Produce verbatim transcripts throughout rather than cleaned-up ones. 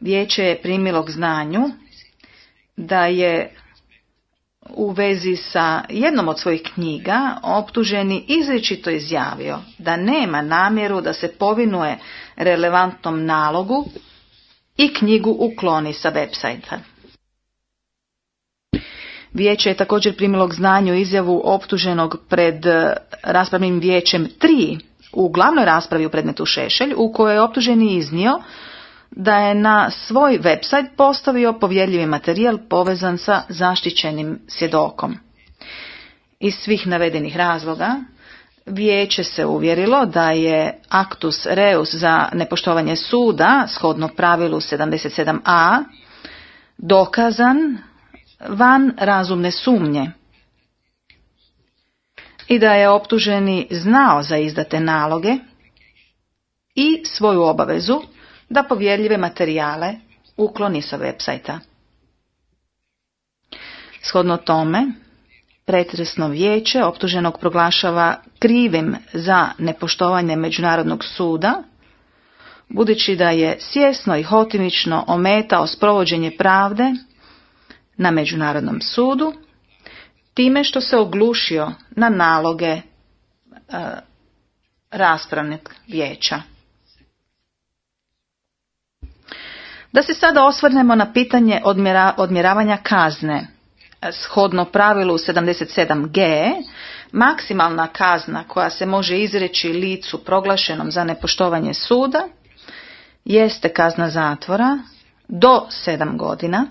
Vijeće je primilo k znanju da je u vezi sa jednom od svojih knjiga optuženi izričito izjavio da nema namjeru da se povinuje relevantnom nalogu i knjigu ukloni sa websajta. Vijeće je također primilo k znanju izjavu optuženog pred raspravnim vijećem tri u glavnoj raspravi u predmetu Šešelj, u kojoj je optuženi iznio da je na svoj website postavio povjerljivi materijal povezan sa zaštićenim svjedokom. Iz svih navedenih razloga vijeće se uvjerilo da je actus reus za nepoštovanje suda, shodno pravilu sedamdeset sedam a, dokazan van razumne sumnje i da je optuženi znao za izdate naloge i svoju obavezu da povjerljive materijale ukloni sa websajta. Shodno tome, pretresno vijeće optuženog proglašava krivim za nepoštovanje Međunarodnog suda, budući da je svjesno i hotimično ometao sprovođenje pravde na Međunarodnom sudu, time što se oglušio na naloge e, raspravnog vijeća. Da se sada osvrnemo na pitanje odmjera, odmjeravanja kazne. Shodno pravilu sedamdeset sedam ge, maksimalna kazna koja se može izreći licu proglašenom za nepoštovanje suda jeste kazna zatvora do sedam godina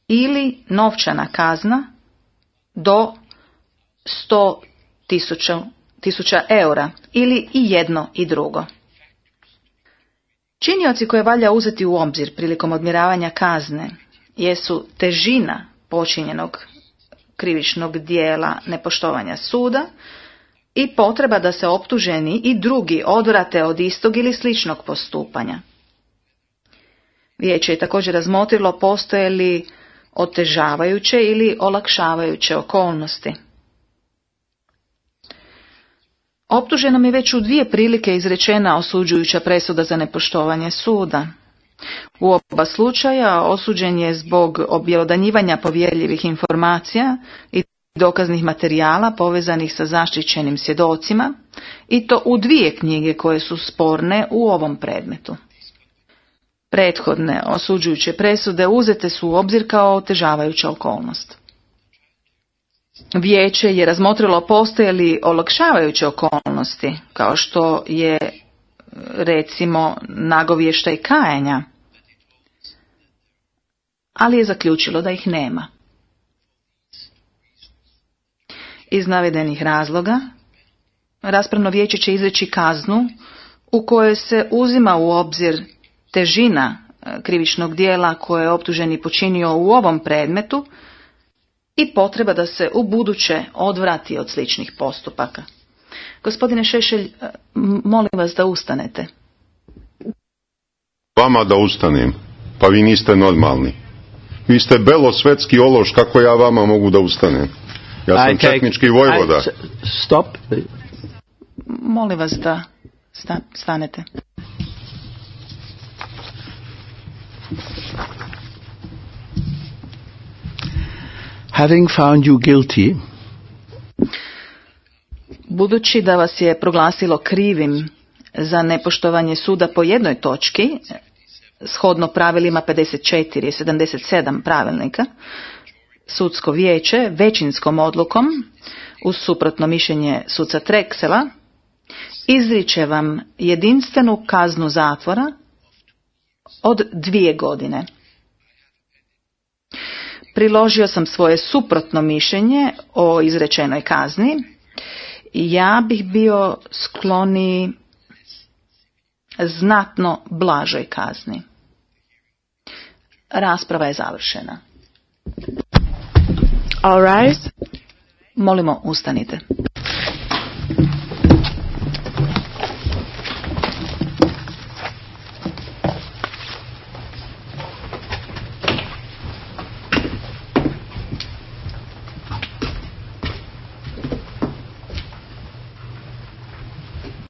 ili novčana kazna do sto tisuća eura ili i jedno i drugo. Činioci koje valja uzeti u obzir prilikom odmjeravanja kazne jesu težina počinjenog krivičnog dijela nepoštovanja suda i potreba da se optuženi i drugi odvrate od istog ili sličnog postupanja. Vijeće je također razmotrilo postoje li otežavajuće ili olakšavajuće okolnosti. Optuženom je već u dvije prilike izrečena osuđujuća presuda za nepoštovanje suda. U oba slučaja osuđen je zbog objelodanjivanja povjerljivih informacija i dokaznih materijala povezanih sa zaštićenim svjedocima, i to u dvije knjige koje su sporne u ovom predmetu. Prethodne osuđujuće presude uzete su u obzir kao otežavajuća okolnost. Vijeće je razmotrilo postoje li olakšavajuće okolnosti, kao što je recimo nagovještaj kajanja, ali je zaključilo da ih nema. Iz navedenih razloga, raspravno vijeće će izreći kaznu u kojoj se uzima u obzir težina krivičnog dijela koje je optuženi počinio u ovom predmetu i potreba da se u buduće odvrati od sličnih postupaka. Gospodine Šešelj, molim vas da ustanete. Vama da ustanem, pa vi niste normalni. Vi ste belosvetski ološ, kako ja vama mogu da ustanem? Ja sam okay. Četnički vojvoda. I, stop. Molim vas da sta, stanete. Having found you guilty, budući da vas je proglasilo krivim za nepoštovanje suda po jednoj točki, shodno pravilima pedeset četiri i sedamdeset sedam pravilnika, sudsko vijeće većinskom odlukom, uz suprotno mišljenje suca Treksela, izriče vam jedinstvenu kaznu zatvora od dvije godine. Priložio sam svoje suprotno mišljenje o izrečenoj kazni i ja bih bio skloni znatno blažoj kazni. Rasprava je završena. All right. Molimo, ustanite.